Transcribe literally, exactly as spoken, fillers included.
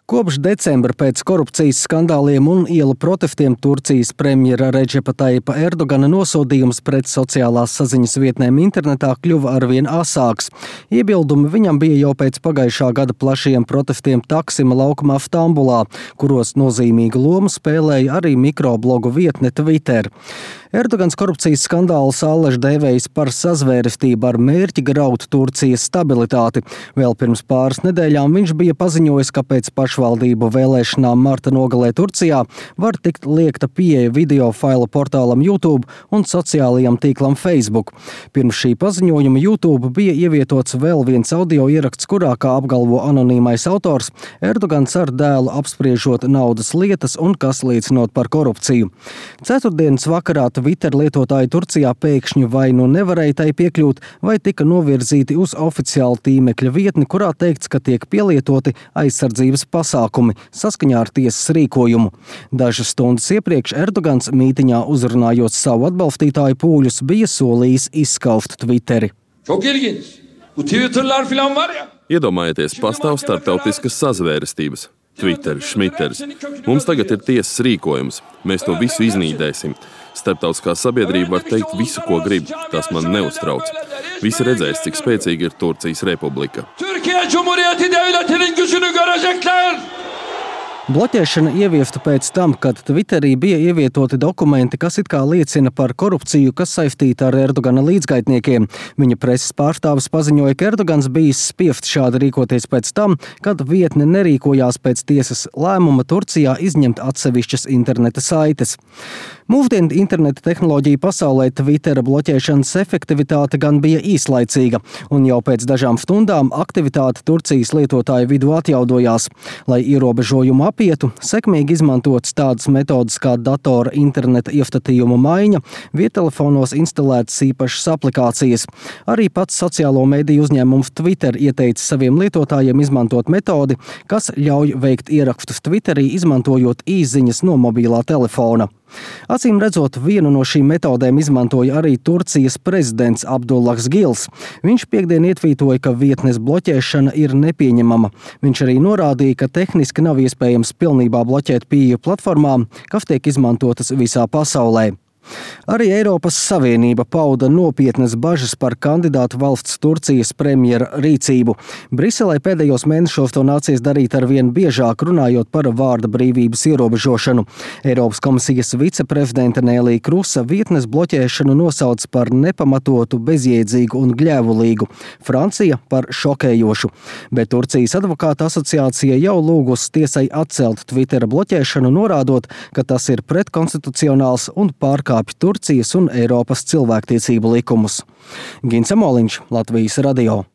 Kopš decembra pēc korupcijas skandāliem un ielu protestiem Turcijas premjera Redžepa Tayyipa Erdogana nosodījums pret sociālās saziņas vietnēm internetā kļuva arvien asāks. Iebildumi viņam bija jau pēc pagājušā gada plašiem protestiem Taksima laukumā Stambulā, kuros nozīmīgu lomu spēlēja arī mikroblogu vietne Twitter. Erdogans korupcijas skandālu allaž dēvējis par sazvērestību ar mērķi graut Turcijas stabilitāti. Vēl pirms pāris nedēļām viņš bija paziņojis, ka pēc pašvaldību vēlēšanām marta nogalē Turcijā var tikt liekta pieeja video failu portālam YouTube un sociālajam tīklam Facebook. Pirms šī paziņojuma YouTube bija ievietots vēl viens audio ieraksts, kurā, kā apgalvo anonīmais autors, Erdogans ar dēlu apspriežot naudas lietas un kas liecinot par korupciju. Ceturtdienas vakarā Twitter lietotāji Turcijā pēkšņi vai nu nevarēja tai piekļūt, vai tika novirzīti uz oficiālu tīmekļa vietni, kurā teikts, ka tiek pielietoti aizsardzības pasākumi saskaņā ar tiesas rīkojumu. Dažas stundas iepriekš Erdogans mītiņā uzrunājot savu atbalstītāju pūļus bija solījis izskauft Twitteri. Çok ilginç. Bu Twitter'lar falan var ya. Iedomājieties, pastāv starptautiskas sazvērestības. Twitter, Šmiters. Mums tagad ir tiesas rīkojums. Mēs to visu iznīdēsim. Starptautiskā sabiedrība var teikt visu, ko grib. Tas man neuztrauc. Visi redzēs, cik spēcīga ir Turcijas republika. Türkiye Cumhuriyeti Devleti'nin gücünü görecekler. Bloķēšana ieviesta pēc tam, kad Twitterī bija ievietoti dokumenti, kas it kā liecina par korupciju, kas saistīta ar Erdogana līdzgaitniekiem. Viņa preses pārstāvis paziņoja, ka Erdogans bijis spiest šādi rīkoties pēc tam, kad vietne nerīkojās pēc tiesas lēmuma Turcijā izņemt atsevišķas interneta saites. Mūsdienu interneta tehnoloģiju pasaulē Twittera bloķēšanas efektivitāte gan bija īslaicīga, un jau pēc dažām stundām aktivitāte Turcijas lietotāju vidū atjaudojās. Lai ierobežojumu apietu, sekmīgi izmantotas tādas metodas kā datora interneta iestatījuma maiņa, viettelefonos instalētas īpašas aplikācijas. Arī pats sociālo mediju uzņēmums Twitter ieteica saviem lietotājiem izmantot metodi, kas ļauj veikt ierakstus Twitterī, izmantojot īsziņas no mobilā telefona. Acīm redzot, vienu no šīm metodēm izmantoja arī Turcijas prezidents Abdullahs Gils. Viņš piekdien ietvītoja, ka vietnes bloķēšana ir nepieņemama. Viņš arī norādīja, ka tehniski nav iespējams pilnībā bloķēt pieeju platformām, kas tiek izmantotas visā pasaulē. Arī Eiropas Savienība pauda nopietnas bažas par kandidātu valsts Turcijas premjera rīcību. Briselē pēdējos mēnešos to nācies darīt arvien biežāk, runājot par vārda brīvības ierobežošanu. Eiropas komisijas viceprezidente Nelija Krusa vietnes bloķēšanu nosauc par nepamatotu, bezjēdzīgu un gļēvulīgu. Francija par šokējošu. Bet Turcijas advokāta asociācija jau lūgusi tiesai atcelt Twittera bloķēšanu, norādot, ka tas ir pretkonstitucionāls un pārkāpj Turcijas un Eiropas cilvēktiesību likumus. Gins Amoliņš, Latvijas radio.